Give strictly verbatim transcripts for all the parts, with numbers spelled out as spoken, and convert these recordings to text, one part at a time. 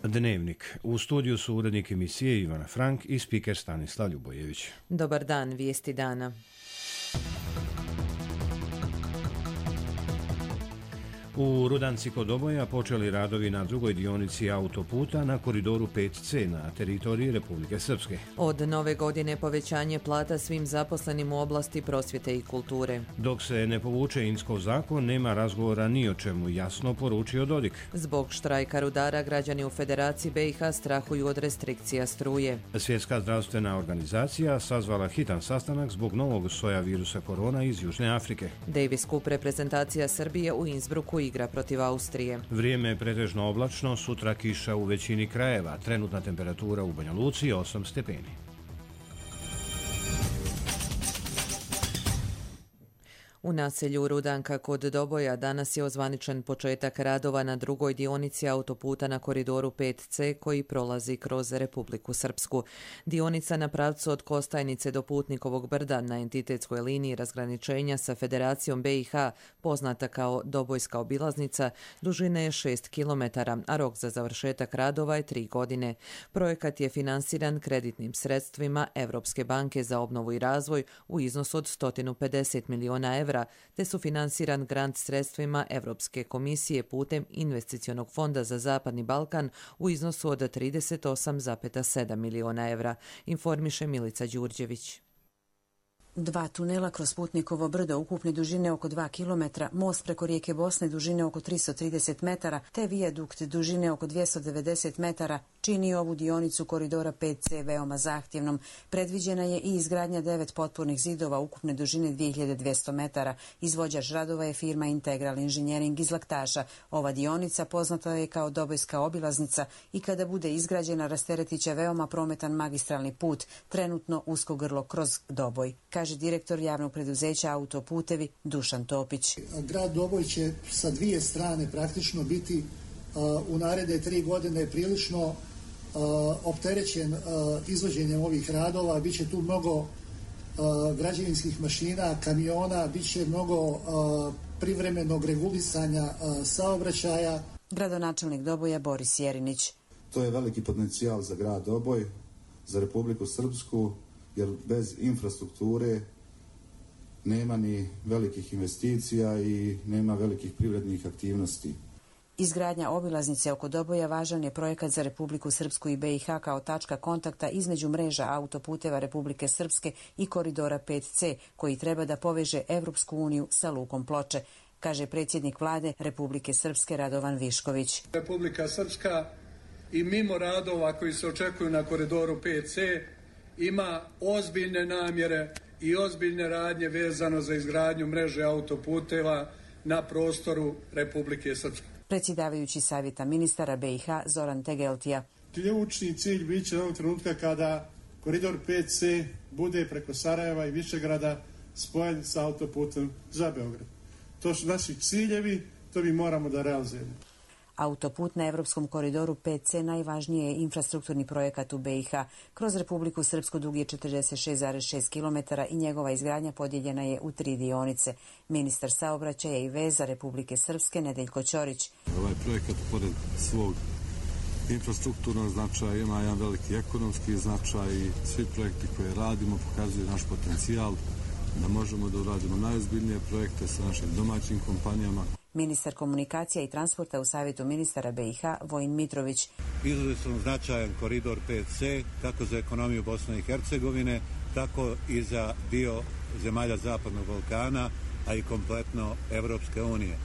Dnevnik. U studiju su urednik emisije Ivana Frank i spiker Stanislav Ljubojević. Dobar dan, vijesti dana. U Rudanci kod Doboja počeli radovi na drugoj dionici autoputa na koridoru pet ce na teritoriji Republike Srpske. Od nove godine povećanje plata svim zaposlenim u oblasti prosvjete i kulture. Dok se ne povuče Inskov zakon, nema razgovora ni o čemu, jasno poručio Dodik. Zbog štrajka rudara građani u Federaciji be i ha strahuju od restrikcija struje. Svjetska zdravstvena organizacija sazvala hitan sastanak zbog novog soja virusa korona iz Južne Afrike. Davis Cup reprezentacija Srbije u Innsbrucku igra protiv Austrije. Vrijeme je pretežno oblačno, sutra kiša u većini krajeva, trenutna temperatura u Banja Luci osam stepeni. U naselju Rudanka kod Doboja danas je ozvaničen početak radova na drugoj dionici autoputa na koridoru pet ce koji prolazi kroz Republiku Srpsku. Dionica na pravcu od Kostajnice do Putnikovog brda na entitetskoj liniji razgraničenja sa Federacijom be i ha, poznata kao Dobojska obilaznica, dužine je šest kilometara, a rok za završetak radova je tri godine. Projekat je finansiran kreditnim sredstvima Evropske banke za obnovu i razvoj u iznosu od sto pedeset miliona evra, te su finansiran grant sredstvima Evropske komisije putem investicionog fonda za Zapadni Balkan u iznosu od trideset osam zarez sedam miliona evra, informiše Milica Đurđević. Dva tunela kroz Putnikovo brdo ukupne dužine oko dva kilometra, most preko rijeke Bosne dužine oko tristo trideset metara, te vijadukt dužine oko dvjesto devedeset metara čini ovu dionicu koridora pet ce veoma zahtjevnom. Predviđena je i izgradnja devet potpornih zidova ukupne dužine dvije hiljade dvjesto metara. Izvođač radova je firma Integral Inženjering iz Laktaša. Ova dionica poznata je kao Dobojska obilaznica i kada bude izgrađena rasteretit će veoma prometan magistralni put, trenutno usko grlo kroz Doboj, kaže direktor javnog preduzeća Autoputevi Dušan Topić. Grad Doboj će sa dvije strane praktično biti uh, u naredne tri godine prilično uh, opterećen uh, izvođenjem ovih radova. Biće tu mnogo uh, građevinskih mašina, kamiona, biće mnogo uh, privremenog regulisanja uh, saobraćaja. Gradonačelnik Doboja Boris Jerinić. To je veliki potencijal za grad Doboj, za Republiku Srpsku, jer bez infrastrukture nema ni velikih investicija i nema velikih privrednih aktivnosti. Izgradnja obilaznice oko Doboja važan je projekat za Republiku Srpsku i be i ha kao tačka kontakta između mreža autoputeva Republike Srpske i koridora pet ce, koji treba da poveže Evropsku uniju sa lukom Ploče, kaže predsjednik vlade Republike Srpske Radovan Višković. Republika Srpska i mimo radova koji se očekuju na koridoru pet ce ima ozbiljne namjere i ozbiljne radnje vezano za izgradnju mreže autoputeva na prostoru Republike Srpske. Predsjedavajući savjeta ministara be i ha Zoran Tegeltija. Ključni cilj bit će ovog trenutka kada koridor pet ce bude preko Sarajeva i Višegrada spojen sa autoputem za Beograd. To su naši ciljevi, to mi moramo da realizujemo. Autoput na Evropskom koridoru pet ce najvažniji je infrastrukturni projekat u be i ha. Kroz Republiku Srpsku dug je četrdeset šest zarez šest kilometara i njegova izgradnja podijeljena je u tri dionice. Ministar saobraćaja i veza Republike Srpske Nedeljko Ćorić. Ovaj projekat pored svog infrastrukturnog značaja ima jedan veliki ekonomski značaj i svi projekti koje radimo pokazuju naš potencijal da možemo da uradimo najozbiljnije projekte sa našim domaćim kompanijama. Ministar komunikacija i transporta u Savjetu ministara be i ha Vojin Mitrović. Izuzetno značajan koridor pet ce kako za ekonomiju Bosne i Hercegovine, tako i za dio zemalja Zapadnog Balkana, a i kompletno Evropske unije.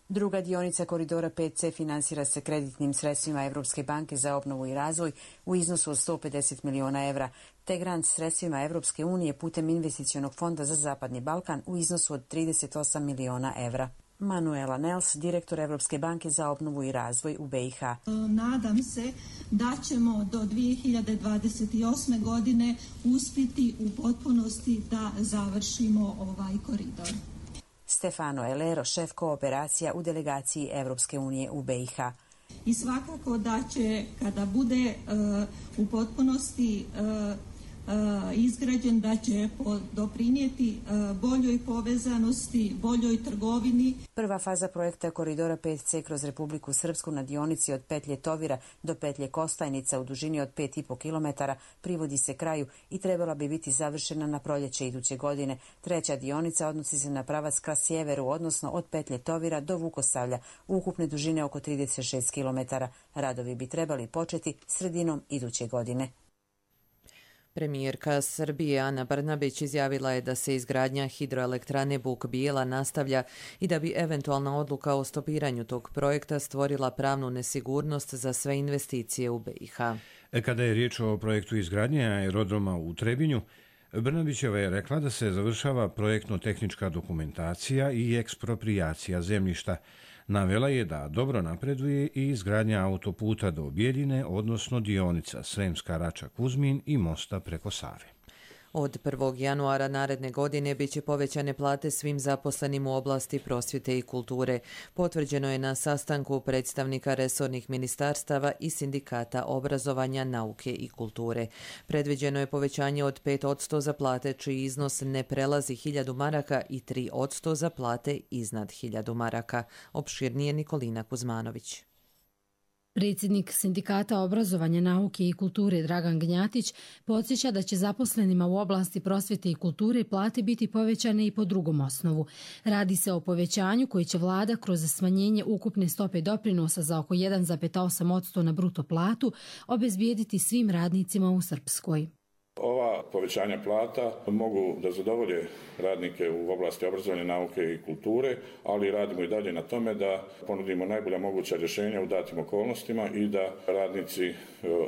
Druga dionica koridora pet ce finansira se kreditnim sredstvima Evropske banke za obnovu i razvoj u iznosu od sto pedeset miliona evra, te grant sredstvima Evropske unije putem investicionog fonda za Zapadni Balkan u iznosu od trideset osam miliona evra. Manuela Nels, direktor Evropske banke za obnovu i razvoj u be i ha. Nadam se da ćemo do dvije hiljade dvadeset osme. godine uspjeti u potpunosti da završimo ovaj koridor. Stefano Elero, šef kooperacija u delegaciji Evropske unije u be i ha. I svakako da će, kada bude uh, u potpunosti uh, izgrađen, da će doprinijeti boljoj povezanosti, boljoj trgovini. Prva faza projekta koridora pet ce kroz Republiku Srpsku na dionici od petlje Tovira do petlje Kostajnica u dužini od pet i po kilometara privodi se kraju i trebala bi biti završena na proljeće iduće godine. Treća dionica odnosi se na pravac ka sjeveru, odnosno od petlje Tovira do Vukosavlja, ukupne dužine oko trideset šest kilometara. Radovi bi trebali početi sredinom iduće godine. Premijerka Srbije Ana Brnabić izjavila je da se izgradnja hidroelektrane Buk Bijela nastavlja i da bi eventualna odluka o stopiranju tog projekta stvorila pravnu nesigurnost za sve investicije u be i ha. Kada je riječ o projektu izgradnje aerodroma u Trebinju, Brnabićeva je rekla da se završava projektno-tehnička dokumentacija i eksproprijacija zemljišta. Navela je da dobro napreduje i izgradnja autoputa do Bijeljine, odnosno dionica Sremska Rača-Kuzmin i mosta preko Save. Od prvog januara naredne godine bit će povećane plate svim zaposlenim u oblasti prosvjete i kulture. Potvrđeno je na sastanku predstavnika resornih ministarstava i sindikata obrazovanja, nauke i kulture. Predviđeno je povećanje od pet posto za plate čiji iznos ne prelazi hiljadu maraka i tri posto za plate iznad hiljadu maraka. Opširnije Nikolina Kuzmanović. Predsjednik Sindikata obrazovanja, nauke i kulture Dragan Gnjatić podsjeća da će zaposlenima u oblasti prosvjete i kulture plate biti povećane i po drugom osnovu. Radi se o povećanju koji će vlada kroz smanjenje ukupne stope doprinosa za oko jedan zarez osam posto na bruto platu obezbijediti svim radnicima u Srpskoj. Ova povećanja plata mogu da zadovolje radnike u oblasti obrazovanja, nauke i kulture, ali radimo i dalje na tome da ponudimo najbolja moguća rješenja u datim okolnostima i da radnici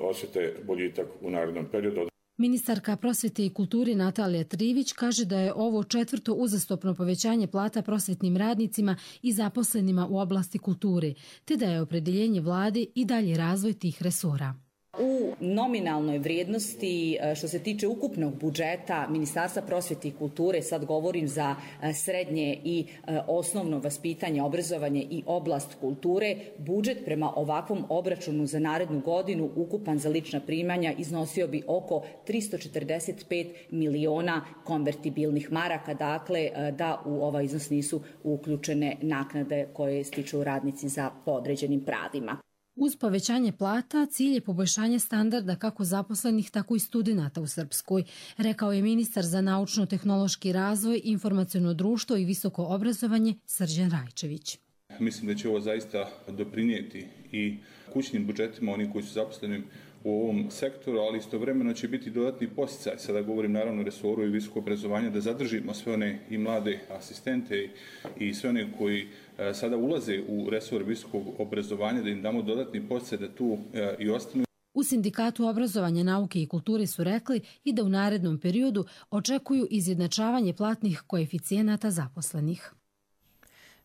osjete boljitak u narednom periodu. Ministarka prosvjete i kulture Natalija Trivić kaže da je ovo četvrto uzastopno povećanje plata prosvjetnim radnicima i zaposlenima u oblasti kulture, te da je opredjeljenje vlade i dalje razvoj tih resora. U nominalnoj vrijednosti što se tiče ukupnog budžeta Ministarstva prosvjete i kulture, sad govorim za srednje i osnovno vaspitanje, obrazovanje i oblast kulture, budžet prema ovakvom obračunu za narednu godinu ukupan za lična primanja iznosio bi oko tristo četrdeset pet miliona konvertibilnih maraka, dakle da u ovaj iznos nisu uključene naknade koje stiču radnici za podređenim pravima. Uz povećanje plata, cilj je poboljšanje standarda kako zaposlenih, tako i studenata u Srpskoj, rekao je ministar za naučno-tehnološki razvoj, informaciono društvo i visoko obrazovanje Srđan Rajčević. Mislim da će ovo zaista doprinijeti i kućnim budžetima onih koji su zaposleni u ovom sektoru, ali istovremeno će biti dodatni podsticaj, sada govorim naravno o resoru i visoko obrazovanje, da zadržimo sve one i mlade asistente i sve one koji sada ulaze u resor visokog obrazovanja, da im damo dodatni podsticaj da tu i ostanu. U Sindikatu obrazovanja, nauke i kulture su rekli i da u narednom periodu očekuju izjednačavanje platnih koeficijenata zaposlenih.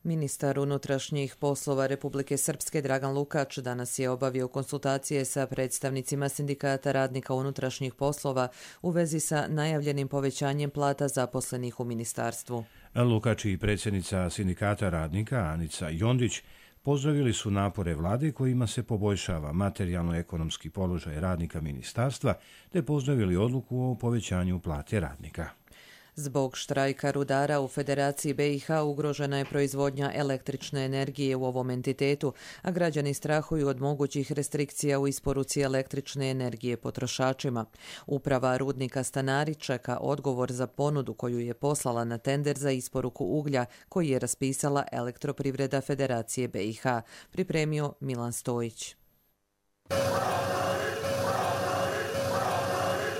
Ministar unutrašnjih poslova Republike Srpske Dragan Lukač danas je obavio konsultacije sa predstavnicima Sindikata radnika unutrašnjih poslova u vezi sa najavljenim povećanjem plata zaposlenih u ministarstvu. Lukač i predsjednica Sindikata radnika Anica Jondić pozdravili su napore vlade kojima se poboljšava materijalno-ekonomski položaj radnika ministarstva, te pozdravili odluku o povećanju plate radnika. Zbog štrajka rudara u Federaciji be i ha ugrožena je proizvodnja električne energije u ovom entitetu, a građani strahuju od mogućih restrikcija u isporuci električne energije potrošačima. Uprava rudnika Stanari čeka odgovor za ponudu koju je poslala na tender za isporuku uglja koji je raspisala Elektroprivreda Federacije be i ha, pripremio Milan Stojić.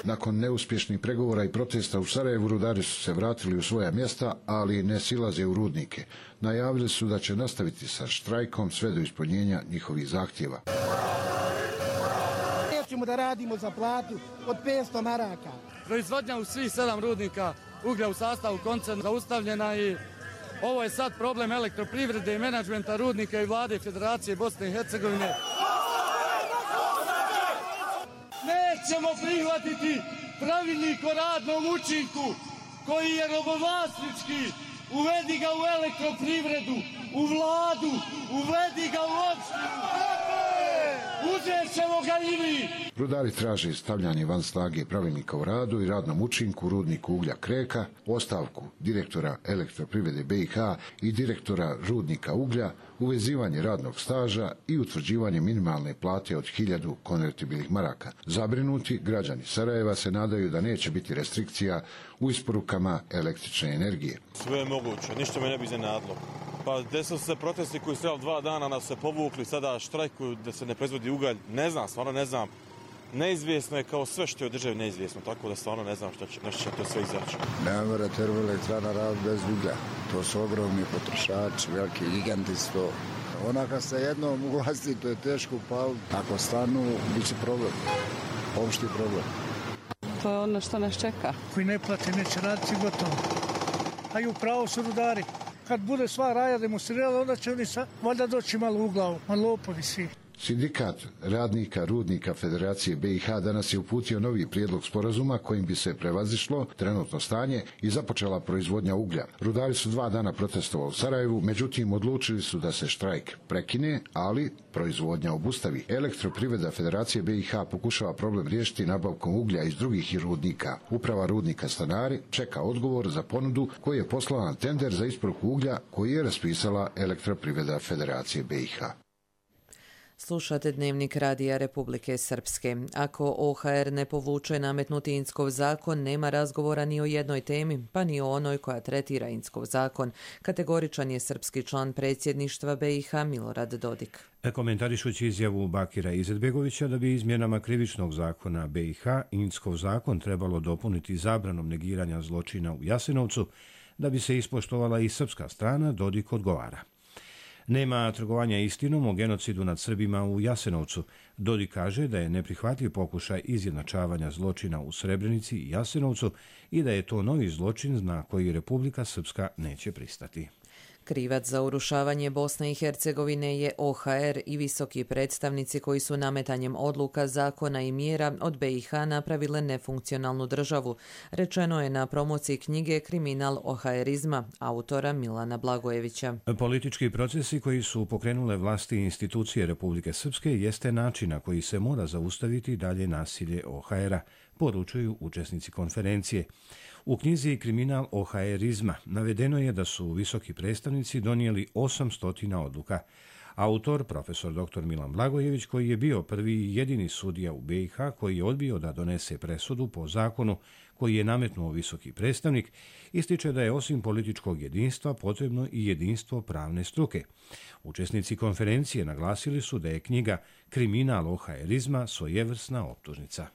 Nakon neuspješnih pregovora i protesta u Sarajevu, rudari su se vratili u svoja mjesta, ali ne silaze u rudnike. Najavili su da će nastaviti sa štrajkom sve do ispunjenja njihovih zahtjeva. Nećemo da radimo za platu od petsto maraka. Proizvodnja u svih sedam rudnika uglja u sastavu koncerna zaustavljena i ovo je sad problem elektroprivrede i menadžmenta rudnika i vlade Federacije Bosne i Hercegovine. Nećemo prihvatiti pravilnik o radnom učinku koji je robovlasnički. Uvedi ga u elektroprivredu, u vladu, uvedi ga u opštinu. uzet ćemo ga i mi! Rudari traže stavljanje van snage pravilnika o radu i radnom učinku rudniku uglja Kreka, ostavku direktora Elektroprivrede B i H i direktora rudnika uglja, uvezivanje radnog staža i utvrđivanje minimalne plate od hiljadu konvertibilnih maraka. Zabrinuti građani Sarajeva se nadaju da neće biti restrikcija u isporukama električne energije. Sve je moguće, ništa me ne bi iznenadilo. Pa desili su se protesti koji su trebali dva dana, nas se povukli, sada štrajkuju da se ne proizvodi ugalj. Ne znam, stvarno ne znam. Neizvjesno je kao sve što je u državi neizvjesno, tako da stvarno ne znam što će, nešto će to sve izaći. Ne mora termoelektrana raditi bez uglja. To su ogromni potrošači, veliki giganti su to. Ona kad se jednom uglasti, to je teško upaliti. Ako stanu, bit će problem. Opšti problem. To je ono što nas čeka. Koji ne plati, neće raditi gotovo. A i upravo su rudari. Kad bude sva raja demonstrirala, onda će oni sa, valjda doći malo u glavu, malo lopovi svi. Sindikat radnika rudnika Federacije B i H danas je uputio novi prijedlog sporazuma kojim bi se prevazišlo trenutno stanje i započela proizvodnja uglja. Rudari su dva dana protestovali u Sarajevu, međutim odlučili su da se štrajk prekine, ali proizvodnja obustavi. Elektroprivreda Federacije B i H pokušava problem riješiti nabavkom uglja iz drugih rudnika. Uprava rudnika Stanari čeka odgovor za ponudu koji je poslala na tender za isporuku uglja koji je raspisala Elektroprivreda Federacije B i H. Slušate Dnevnik Radija Republike Srpske. Ako O H R ne povuče nametnuti Inckov zakon, nema razgovora ni o jednoj temi, pa ni o onoj koja tretira Inckov zakon. Kategoričan je srpski član predsjedništva B i H Milorad Dodik. Komentarišući izjavu Bakira Izetbegovića da bi izmjenama krivičnog zakona B i H Inckov zakon trebalo dopuniti zabranom negiranja zločina u Jasenovcu, da bi se ispoštovala i srpska strana, Dodik odgovara. Nema trgovanja istinom o genocidu nad Srbima u Jasenovcu. Dodik kaže da je neprihvatljiv pokušaj izjednačavanja zločina u Srebrenici i Jasenovcu i da je to novi zločin na koji Republika Srpska neće pristati. Krivac za urušavanje Bosne i Hercegovine je O H R i visoki predstavnici koji su nametanjem odluka, zakona i mjera od B i H napravile nefunkcionalnu državu, rečeno je na promociji knjige Kriminal OHRizma autora Milana Blagojevića. Politički procesi koji su pokrenule vlasti i institucije Republike Srpske jeste način na koji se mora zaustaviti dalje nasilje O H R-a, poručuju učesnici konferencije. U knjizi Kriminal OHRizma navedeno je da su visoki predstavnici donijeli osamsto odluka. Autor, profesor doktor Milan Blagojević, koji je bio prvi i jedini sudija u B i H koji je odbio da donese presudu po zakonu koji je nametnuo visoki predstavnik, ističe da je osim političkog jedinstva potrebno i jedinstvo pravne struke. Učesnici konferencije naglasili su da je knjiga Kriminal OHRizma svojevrsna optužnica.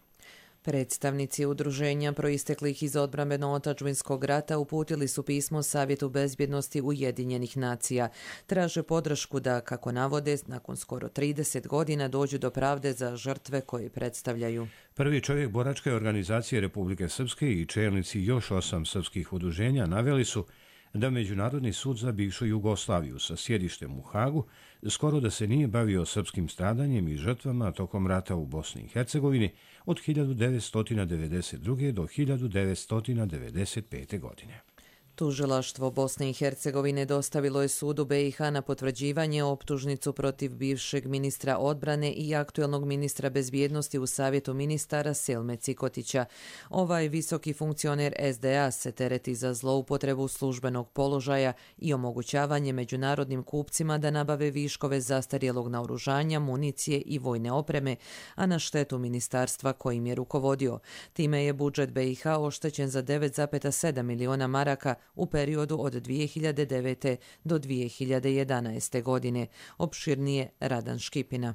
Predstavnici udruženja proisteklih iz odbrambeno-otadžbinskog rata uputili su pismo Savjetu bezbjednosti Ujedinjenih nacija. Traže podršku da, kako navode, nakon skoro trideset godina dođu do pravde za žrtve koje predstavljaju. Prvi čovjek boračke organizacije Republike Srpske i čelnici još osam srpskih udruženja naveli su da Međunarodni sud za bivšu Jugoslaviju sa sjedištem u Hagu skoro da se nije bavio srpskim stradanjem i žrtvama tokom rata u Bosni i Hercegovini od hiljadu devetsto devedeset druge. do hiljadu devetsto devedeset pete. godine. Tužilaštvo Bosne i Hercegovine dostavilo je sudu B i H na potvrđivanje optužnicu protiv bivšeg ministra odbrane i aktuelnog ministra bezbjednosti u Savjetu ministara Selme Cikotića. Ovaj visoki funkcioner S D A se tereti za zloupotrebu službenog položaja i omogućavanje međunarodnim kupcima da nabave viškove zastarjelog naoružanja, municije i vojne opreme, a na štetu ministarstva kojim je rukovodio. Time je budžet B i H oštećen za devet zarez sedam miliona maraka u periodu od dvije hiljade devete. do dvije hiljade jedanaeste. godine. Opširnije Radan Škipina.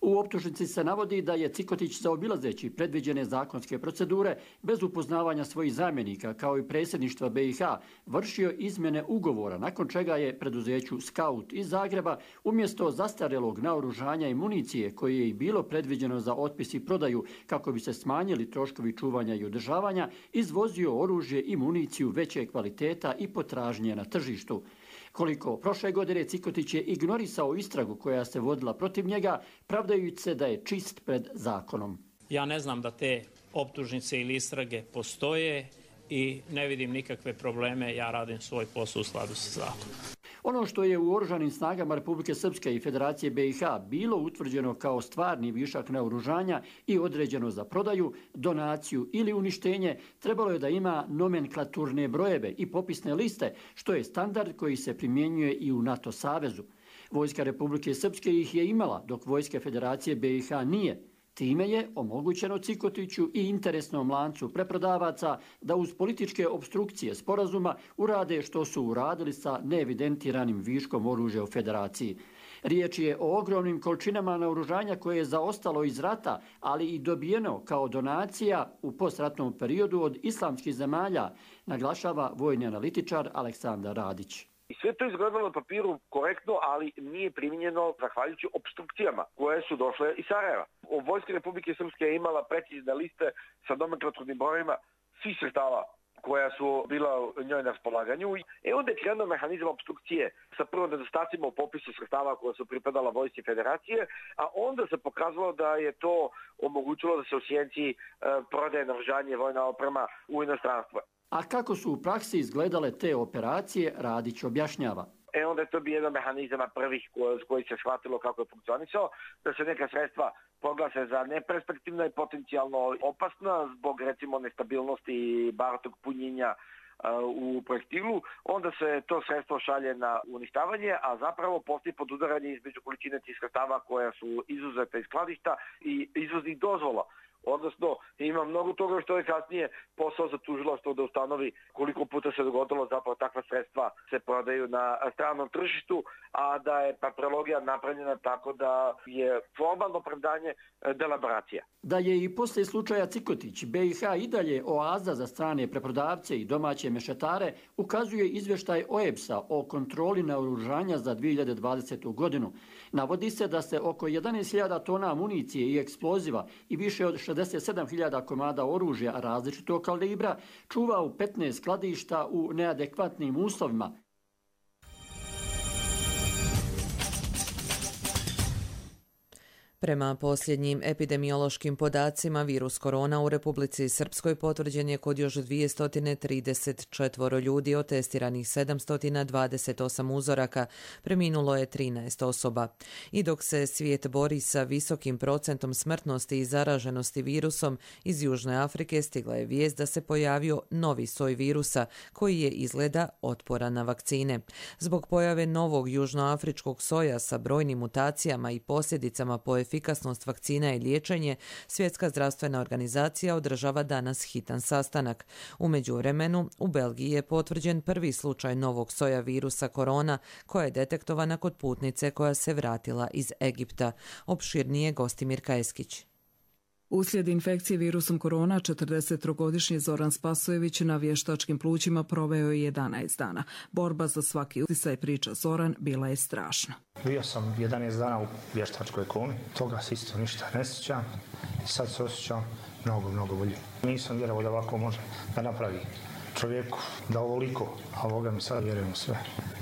U optužnici se navodi da je Cikotić zaobilazeći predviđene zakonske procedure bez upoznavanja svojih zamjenika kao i predsjedništva B i H vršio izmjene ugovora, nakon čega je preduzeću Skaut iz Zagreba umjesto zastarjelog naoružanja i municije koje je i bilo predviđeno za otpis i prodaju kako bi se smanjili troškovi čuvanja i održavanja, izvozio oružje i municiju veće kvaliteta i potražnje na tržištu. Koliko prošle godine Cikotić je ignorisao istragu koja se vodila protiv njega, pravdajući se da je čist pred zakonom. Ja ne znam da te optužnice ili istrage postoje i ne vidim nikakve probleme, ja radim svoj posao u skladu sa zakonom. Ono što je u oružanim snagama Republike Srpske i Federacije B i H bilo utvrđeno kao stvarni višak naoružanja i određeno za prodaju, donaciju ili uništenje, trebalo je da ima nomenklaturne brojeve i popisne liste, što je standard koji se primjenjuje i u NATO savezu. Vojska Republike Srpske ih je imala, dok Vojska Federacije B i H nije. Time je omogućeno Cikotiću i interesnom lancu preprodavaca da uz političke obstrukcije sporazuma urade što su uradili sa neevidentiranim viškom oružja u Federaciji. Riječ je o ogromnim količinama naoružanja koje je zaostalo iz rata, ali i dobijeno kao donacija u postratnom periodu od islamskih zemalja, naglašava vojni analitičar Aleksandar Radić. I sve to izgledalo na papiru korektno, ali nije primjenjeno zahvaljujući obstrukcijama koje su došle iz Sarajeva. Vojska Republike Srpske je imala precizne liste sa nomenklaturnim brojevima svih sredstava koja su bila njoj na raspolaganju. E onda je krenuo mehanizam obstrukcije sa prvo nedostacima u popisu sredstava koja su pripadala Vojsci Federacije, a onda se pokazalo da je to omogućilo da se u sjenci e, prodaje naoružanje i vojna oprema u inostranstvo. A kako su u praksi izgledale te operacije, Radić objašnjava. E onda je to bio jedan mehanizama prvih koji se shvatilo kako je funkcionisao, da se neka sredstva proglase za neperspektivna i potencijalno opasna zbog recimo nestabilnosti i baratog punjenja u projektilu, onda se to sredstvo šalje na uništavanje, a zapravo postoji podudaranje između količine tih sredstava koja su izuzeta iz skladišta i izvoznih dozvola. Odnosno, ima mnogo toga što je kasnije posao za tužilaštvo da ustanovi koliko puta se dogodilo zapravo takva sredstva se prodaju na stranom tržištu, a da je papirologija napravljena tako da je formalno opravdanje delaboracija. Da je i poslije slučaja Cikotić B i H i dalje oaza za strane preprodavce i domaće mešetare, ukazuje izvještaj O E B S-a o kontroli naoružanja za dvije hiljade dvadesetu. godinu. Navodi se da se oko jedanaest hiljada tona municije i eksploziva i više od šezdeset sedam hiljada komada oružja različitog kalibra čuva u petnaest skladišta u neadekvatnim uslovima. Prema posljednjim epidemiološkim podacima, virus korona u Republici Srpskoj potvrđen je kod još dvjesto trideset četiri ljudi, od testiranih sedamsto dvadeset osam uzoraka, preminulo je trinaest osoba. I dok se svijet bori sa visokim procentom smrtnosti i zaraženosti virusom, iz Južne Afrike stigla je vijest da se pojavio novi soj virusa koji je izgleda otporan na vakcine. Zbog pojave novog južnoafričkog soja sa brojnim mutacijama i posljedicama po efikasnost vakcina i liječenje, Svjetska zdravstvena organizacija održava danas hitan sastanak. U međuvremenu, u Belgiji je potvrđen prvi slučaj novog soja virusa korona koja je detektovana kod putnice koja se vratila iz Egipta. Opširnije Gostimir Kajeskić. Uslijed infekcije virusom korona, četrdesettrogodišnji Zoran Spasojević na vještačkim plućima proveo je jedanaest dana. Borba za svaki utisaj, priča Zoran, bila je strašna. Bio sam jedanaest dana u vještačkoj komi, toga se isto ništa ne sjećam i sad se osjećam mnogo, mnogo bolje. Nisam vjerovao da ovako može da napravi čovjeku, da ovoliko, a Boga mi sad vjerujem sve.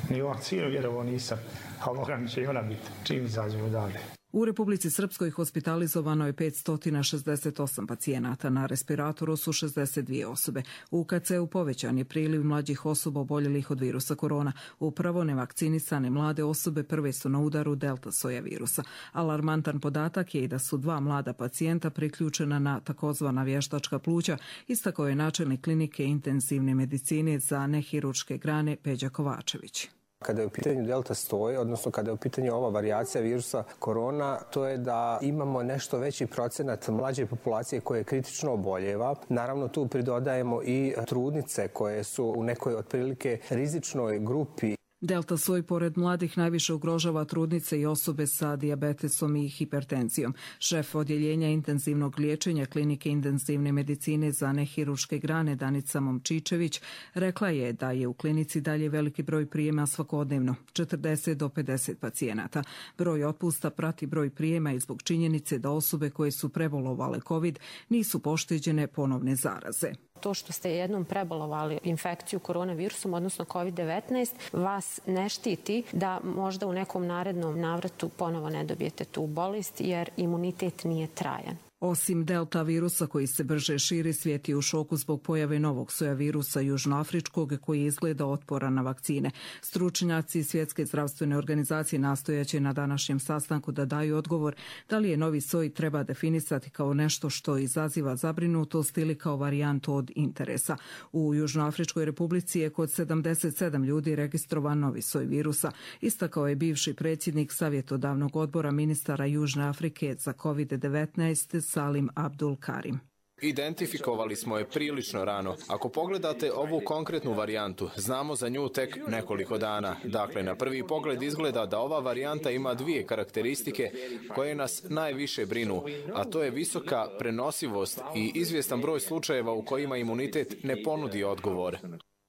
Ni u vakcinu vjerovao nisam, a Boga mi će i ona biti, čim izađemo dalje. U Republici Srpskoj hospitalizovano je petsto šezdeset osam pacijenata, na respiratoru su šezdeset dvije osobe. U K C-u povećan je priliv mlađih osoba oboljelih od virusa korona. Upravo nevakcinisane mlade osobe prve su na udaru delta soja virusa. Alarmantan podatak je i da su dva mlada pacijenta priključena na takozvana vještačka pluća, istakao je načelnik klinike intenzivne medicine za nehirurške grane Peđa Kovačević. Kada je u pitanju delta soj, odnosno kada je u pitanju ova varijacija virusa korona, to je da imamo nešto veći procenat mlađe populacije koje kritično oboljeva. Naravno, tu pridodajemo i trudnice koje su u nekoj otprilike rizičnoj grupi. Delta soj pored mladih najviše ugrožava trudnice i osobe sa dijabetesom i hipertenzijom. Šef odjeljenja intenzivnog liječenja klinike intenzivne medicine za nehirurške grane Danica Momčičević rekla je da je u klinici dalje veliki broj prijema svakodnevno, četrdeset do pedeset pacijenata. Broj otpusta prati broj prijema i zbog činjenice da osobe koje su prebolovale COVID nisu pošteđene ponovne zaraze. To što ste jednom prebolovali infekciju koronavirusom, odnosno kovid devetnaest, vas ne štiti da možda u nekom narednom navratu ponovo ne dobijete tu bolest jer imunitet nije trajan. Osim delta virusa koji se brže širi, svijet je u šoku zbog pojave novog soja virusa južnoafričkog koji izgleda otporan na vakcine. Stručnjaci Svjetske zdravstvene organizacije nastojaće na današnjem sastanku da daju odgovor da li je novi soj treba definisati kao nešto što izaziva zabrinutost ili kao varijantu od interesa. U Južnoafričkoj republici je kod sedamdeset sedam ljudi registrovan novi soj virusa, istakao je bivši predsjednik savjetodavnog odbora ministara Južne Afrike za kovid devetnaest Salim Abdul Karim. Identifikovali smo je prilično rano. Ako pogledate ovu konkretnu varijantu, znamo za nju tek nekoliko dana. Dakle, na prvi pogled izgleda da ova varijanta ima dvije karakteristike koje nas najviše brinu, a to je visoka prenosivost i izvjestan broj slučajeva u kojima imunitet ne ponudi odgovor.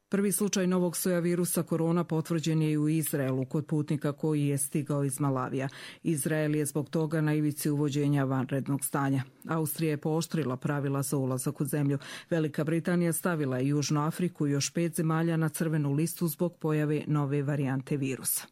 Prvi slučaj novog soja virusa korona potvrđen je i u Izraelu kod putnika koji je stigao iz Malavija. Izrael je zbog toga na ivici uvođenja vanrednog stanja. Austrija je pooštrila pravila za ulazak u zemlju. Velika Britanija stavila je Južnu Afriku i još pet zemalja na crvenu listu zbog pojave nove varijante virusa.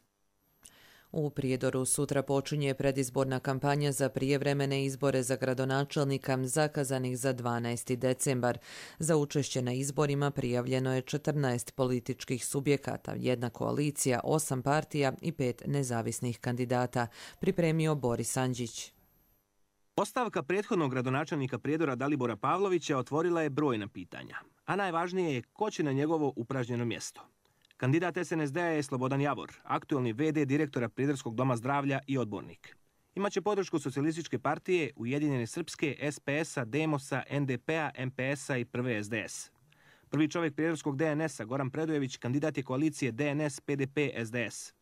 U Prijedoru sutra počinje predizborna kampanja za prijevremene izbore za gradonačelnika zakazanih za dvanaesti decembar. Za učešće na izborima prijavljeno je četrnaest političkih subjekata, jedna koalicija, osam partija i pet nezavisnih kandidata, pripremio Boris Andžić. Ostavka prethodnog gradonačelnika Prijedora Dalibora Pavlovića otvorila je brojna pitanja, a najvažnije je ko će na njegovo upražnjeno mjesto. Kandidat S N S D-a je Slobodan Javor, aktualni ve de direktora Prijedorskog doma zdravlja i odbornik. Imaće podršku Socijalističke partije, Ujedinjene srpske, es pe es-a, Demosa, en de pe-a, em pe es-a i prve es de es. Prvi čovjek Prijedorskog de en es-a, Goran Predojević, kandidat je koalicije de en es, pe de pe, es de es.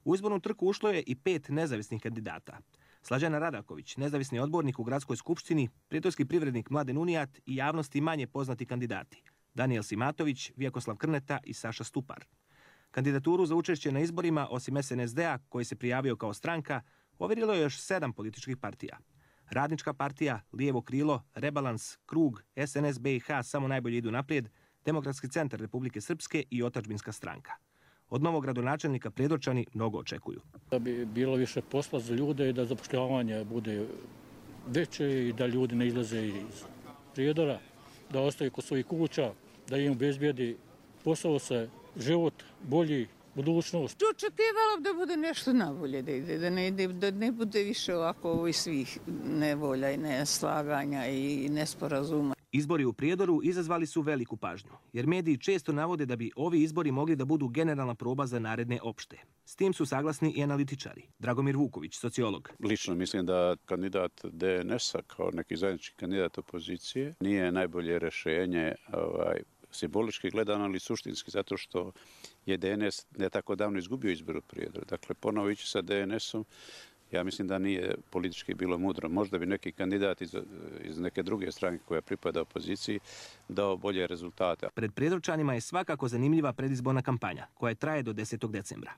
U izbornu trku ušlo je i pet nezavisnih kandidata. Slađana Radaković, nezavisni odbornik u gradskoj skupštini, prijedorski privrednik Mladen Unijat i javnosti manje poznati kandidati. Danijel Simatović, Vjekoslav Krneta i Saša Stupar. Kandidaturu za učešće na izborima, osim S N S D-a, koji se prijavio kao stranka, ovjerilo je još sedam političkih partija. Radnička partija, Lijevo krilo, Rebalans, Krug, S N S be i ha samo najbolje idu naprijed, Demokratski centar Republike Srpske i Otadžbinska stranka. Od novog gradonačelnika Prijedorčani mnogo očekuju. Da bi bilo više posla za ljude i da zapošljavanje bude veće i da ljudi ne izlaze iz Prijedora, da ostaju kod svojih kuća, da im obezbijedi posao se, život, bolji, budućnost. Očekivala da bude nešto nabolje, da ide, da ne, ide, da ne bude više ovako ovih svih nevolja i neslaganja i nesporazuma. Izbori u Prijedoru izazvali su veliku pažnju, jer mediji često navode da bi ovi izbori mogli da budu generalna proba za naredne opšte. S tim su saglasni i analitičari. Dragomir Vuković, sociolog. Lično mislim da kandidat de en es-a kao neki zajednički kandidat opozicije nije najbolje rješenje ovaj, simbolički gledano, ali suštinski, zato što je de en es ne tako davno izgubio izbor u Prijedoru. Dakle, ponovo ići sa de en es-om, ja mislim da nije politički bilo mudro. Možda bi neki kandidat iz, iz neke druge stranke koja pripada opoziciji dao bolje rezultate. Pred Prijedorčanima je svakako zanimljiva predizborna kampanja, koja traje do desetog decembra.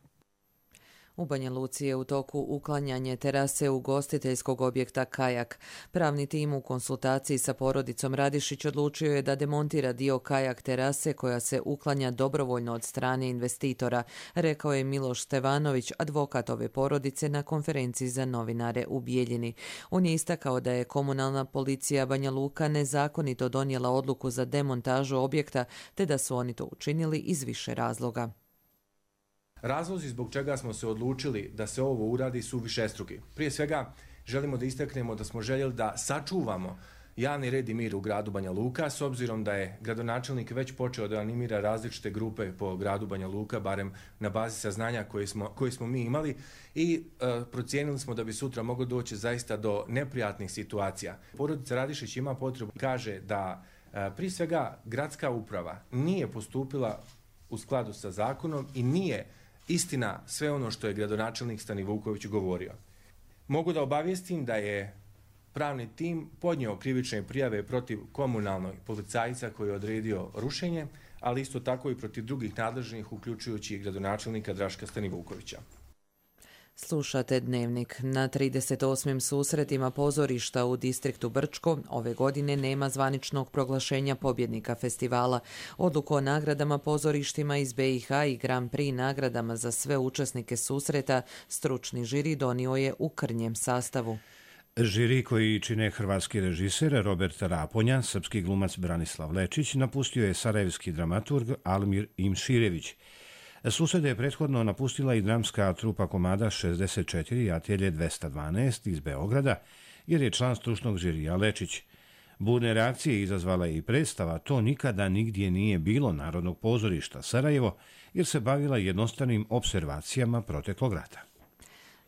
U Banja Luci je u toku uklanjanje terase ugostiteljskog objekta Kajak. Pravni tim u konsultaciji sa porodicom Radišić odlučio je da demontira dio kajak terase koja se uklanja dobrovoljno od strane investitora, rekao je Miloš Stevanović, advokat ove porodice na konferenciji za novinare u Bijeljini. On je istakao da je komunalna policija Banja Luka nezakonito donijela odluku za demontažu objekta, te da su oni to učinili iz više razloga. Razlozi zbog čega smo se odlučili da se ovo uradi su višestruki. Prije svega želimo da istaknemo da smo željeli da sačuvamo javni red i mir u gradu Banja Luka, s obzirom da je gradonačelnik već počeo da animira različite grupe po gradu Banja Luka, barem na bazi saznanja koje smo, koje smo mi imali, i e, procijenili smo da bi sutra moglo doći zaista do neprijatnih situacija. Porodica Radišić ima potrebu, kaže da e, prije svega gradska uprava nije postupila u skladu sa zakonom i nije istina sve ono što je gradonačelnik Stani Vuković govorio. Mogu da obavijestim da je pravni tim podnio krivične prijave protiv komunalnog policajca koji je odredio rušenje, ali isto tako i protiv drugih nadležnih, uključujući i gradonačelnika Draška Stanivukovića. Slušate Dnevnik. Na trideset osmim susretima pozorišta u distriktu Brčko ove godine nema zvaničnog proglašenja pobjednika festivala. Odluku o nagradama pozorištima iz be i ha i Grand Prix nagradama za sve učesnike susreta stručni žiri donio je u krnjem sastavu. Žiri koji čine hrvatski režiser Robert Raponja, srpski glumac Branislav Lečić, napustio je sarajevski dramaturg Almir Imširević. Susede je prethodno napustila i dramska trupa komada šezdeset četiri i Atelje dvesta dvanaest iz Beograda, jer je član stručnog žirija Lečić. Burne reakcije izazvala je i predstava To nikada nigdje nije bilo Narodnog pozorišta Sarajevo, jer se bavila jednostavnim observacijama proteklog rata.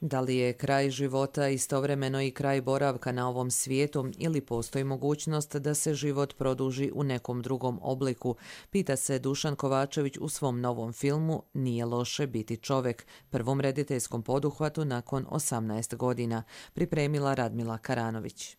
Da li je kraj života istovremeno i kraj boravka na ovom svijetu ili postoji mogućnost da se život produži u nekom drugom obliku, pita se Dušan Kovačević u svom novom filmu Nije loše biti čovjek, prvom rediteljskom poduhvatu nakon osamnaest godina, pripremila Radmila Karanović.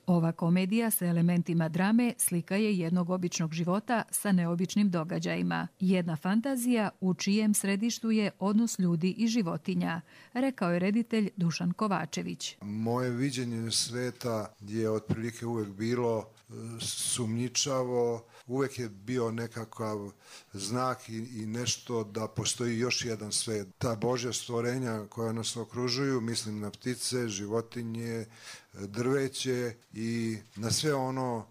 Ova komedija sa elementima drame slika je jednog običnog života sa neobičnim događajima. Jedna fantazija u čijem središtu je odnos ljudi i životinja, rekao je reditelj Dušan Kovačević. Moje viđenje sveta je otprilike uvek bilo sumnjičavo, uvek je bio nekakav znak i, i nešto da postoji još jedan svet. Ta Božja stvorenja koja nas okružuju, mislim na ptice, životinje, drveće i na sve ono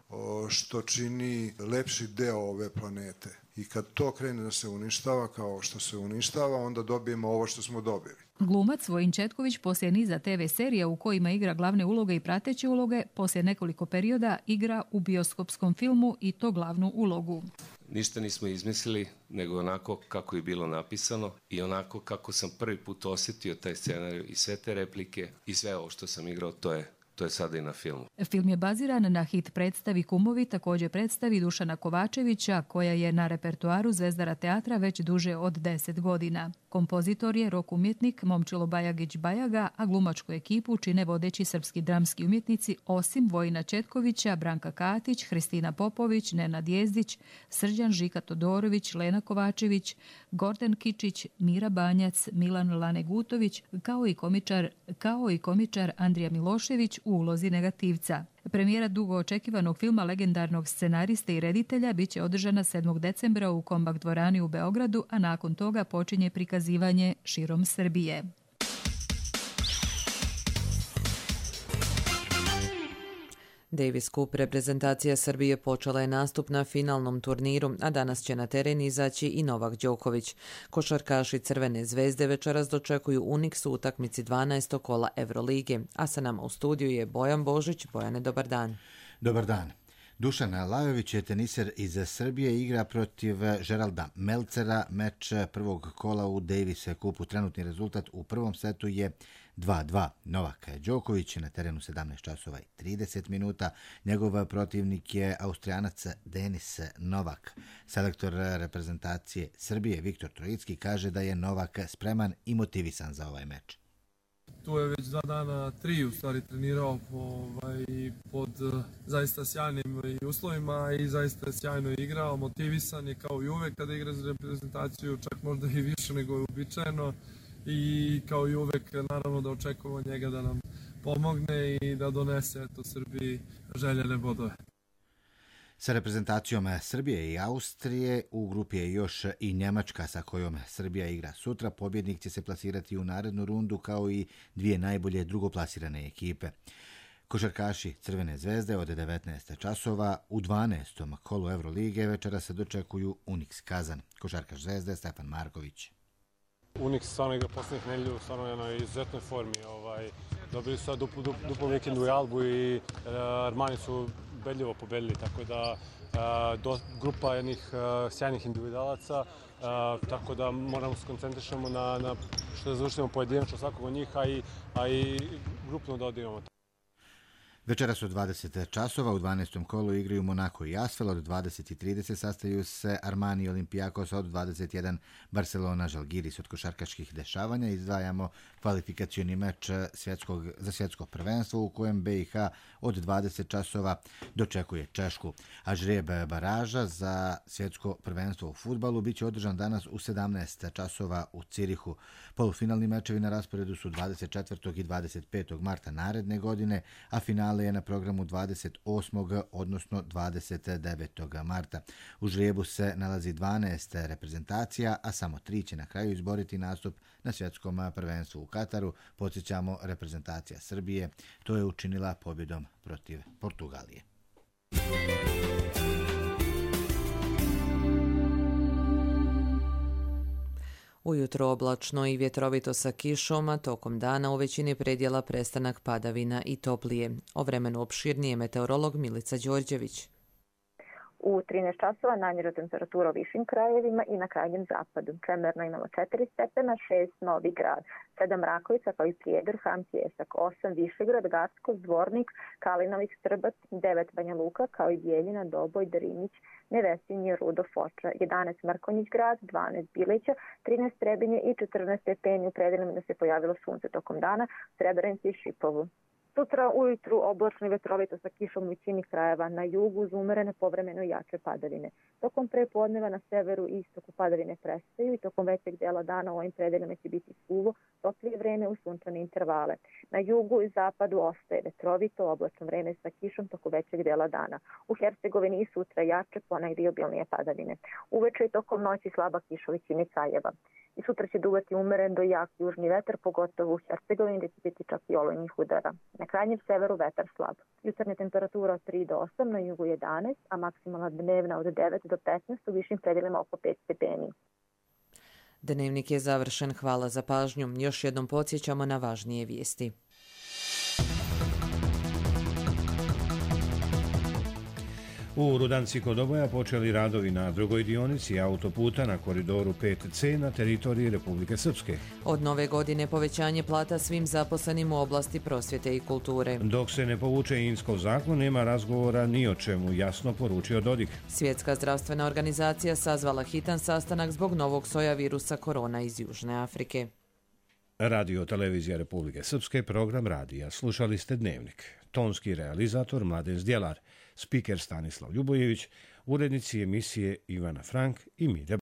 što čini lepši deo ove planete. I kad to krene da se uništava kao što se uništava, onda dobijemo ovo što smo dobili. Glumac Vojin Četković poslije niza te ve serija u kojima igra glavne uloge i prateće uloge, poslije nekoliko perioda igra u bioskopskom filmu i to glavnu ulogu. Ništa nismo izmislili, nego onako kako je bilo napisano i onako kako sam prvi put osjetio taj scenarij i sve te replike i sve ovo što sam igrao, to je To je sada i na filmu. Film je baziran na hit predstavi Kumovi, također predstavi Dušana Kovačevića, koja je na repertoaru Zvezdara teatra već duže od deset godina. Kompozitor je rock umjetnik Momčilo Bajagić Bajaga, a glumačku ekipu čine vodeći srpski dramski umjetnici osim Vojina Četkovića, Branka Katić, Hristina Popović, Nenad Jezdić, Srđan Žika Todorović, Lena Kovačević, Gordon Kičić, Mira Banjac, Milan Lane Gutović, kao i komičar, kao i komičar Andrija Milošević u ulozi negativca. Premijera dugo očekivanog filma legendarnog scenariste i reditelja biće održana sedmog decembra u Kombak dvorani u Beogradu, a nakon toga počinje prikazivanje širom Srbije. Davis Cup reprezentacija Srbije počela je nastup na finalnom turniru, a danas će na teren izaći i Novak Đoković. Košarkaši Crvene zvezde večeras dočekuju Unix u utakmici dvanaestog kola Evrolige, a sa nama u studiju je Bojan Božić. Bojane, dobar dan. Dobar dan. Dušan Lajović je teniser iz Srbije, igra protiv Geralda Melcera, meč prvog kola u Davis Cupu. Trenutni rezultat u prvom setu je dva dva. Novak Đoković je na terenu sedamnaest časova i trideset minuta. Njegov protivnik je Austrijanac Denis Novak. Selektor reprezentacije Srbije Viktor Trojicki kaže da je Novak spreman i motivisan za ovaj meč. Tu je već dva dana, tri u stvari trenirao ovaj, pod zaista sjajnim uslovima i zaista sjajno igrao, motivisan je kao i uvek kada igra za reprezentaciju, čak možda i više nego je uobičajeno i kao i uvek naravno da očekujemo njega da nam pomogne i da donese eto, Srbiji željene bodove. Sa reprezentacijom Srbije i Austrije u grupi je još i Njemačka sa kojom Srbija igra sutra. Pobjednik će se plasirati u narednu rundu kao i dvije najbolje drugoplasirane ekipe. Košarkaši Crvene zvezde od devetnaest časova u dvanaestom kolu Evrolige večera se dočekuju Unix Kazan. Košarkaš Zvezde Stefan Marković. Unix stvarno igra posljednjih nedjelju, stvarno je na izuzetnoj formi. Ovaj, dobili su sad duplu, duplu, duplu vikendu i Albu i uh, Armani su ubedljivo pobedili, tako da uh, do, grupa jednih uh, sjajnih individualaca, uh, tako da moramo se koncentrišemo na, na što da završimo pojedinačno svakog od njih, a i, a i grupno da odigramo. Večeras od dvadeset časova u dvanaestom kolu igraju Monako i Asvel, od dvadeset i trideset sastaju se Armani i Olympiakos, od dvadeset jedan Barcelona Žalgiris. Od košarkaških dešavanja izdvajamo kvalifikacioni meč svjetskog, za svjetsko prvenstvo u kojem B i H od dvadeset časova dočekuje Češku. A žrijeb baraža za svjetsko prvenstvo u fudbalu biće održan danas u sedamnaest časova u Cirihu. Polufinalni mečevi na rasporedu su dvadeset četvrtog i dvadeset petog marta naredne godine, a final finale je na programu dvadeset osmog odnosno dvadeset devetog marta. U žrebu se nalazi dvanaest reprezentacija, a samo tri će na kraju izboriti nastup na svjetskom prvenstvu u Kataru. Podsjećamo, reprezentacija Srbije to je učinila pobjedom protiv Portugalije. Ujutro oblačno i vjetrovito sa kišom, a tokom dana u većini predjela prestanak padavina i toplije. O vremenu opširnije meteorolog Milica Đorđević. U trinaest časova najniža temperatura u višim krajevima i na krajnjem zapadu. Čemerno imamo četiri stepena, šest Novi Grad, sedam Rakovica kao i Prijedor, Ham, Pjesak, osam Višegrad, Gacko, Zvornik, Kalinović, Strbac, devet Banja Luka kao i Bijeljina, Doboj, Drinić, Nevesinje, Rudo, Foča, jedanaest Mrkonjić Grad, dvanaest Bileća, trinaest Trebinje i četrnaest stepeni u predelima da se pojavilo sunce tokom dana, Srebrenici i Šipovu. Sutra ujutru oblačno i vetrovito sa kišom u većini krajeva, na jugu uz umerene povremeno jače padavine. Tokom prepodneva na severu i istoku padavine prestaju i tokom većeg dela dana u ovim predelima će biti suvo, toplije vreme u sunčane intervale. Na jugu i zapadu ostaje vetrovito, oblačno vreme sa kišom tokom većeg dela dana. U Hercegovini i sutra jače, ponegdje i obilnije padavine. Uveče i tokom noći slaba kiša u većini krajeva. I sutra će duvati umeren do jak južni vetar, pogotovo u Hercegovini gdje će biti čak i olujnih udara. Na krajnjem severu vetar slab. Jutarnja temperatura od tri do osam, na jugu jedanaest, a maksimalna dnevna od devet do petnaest, u višim predelima oko pet stepeni. Dnevnik je završen. Hvala za pažnju. Još jednom podsjećamo na važnije vijesti. U Rudanci kod Doboja počeli radovi na drugoj dionici autoputa na koridoru pet ce na teritoriji Republike Srpske. Od nove godine povećanje plata svim zaposlenim u oblasti prosvjete i kulture. Dok se ne povuče Inskov zakon, nema razgovora ni o čemu, jasno poručio Dodik. Svjetska zdravstvena organizacija sazvala hitan sastanak zbog novog soja virusa korona iz Južne Afrike. Radio Televizija Republike Srpske, program radija. Slušali ste Dnevnik. Tonski realizator Mladen Zdjelar, spiker Stanislav Ljubojević, urednici emisije Ivana Frank i Milja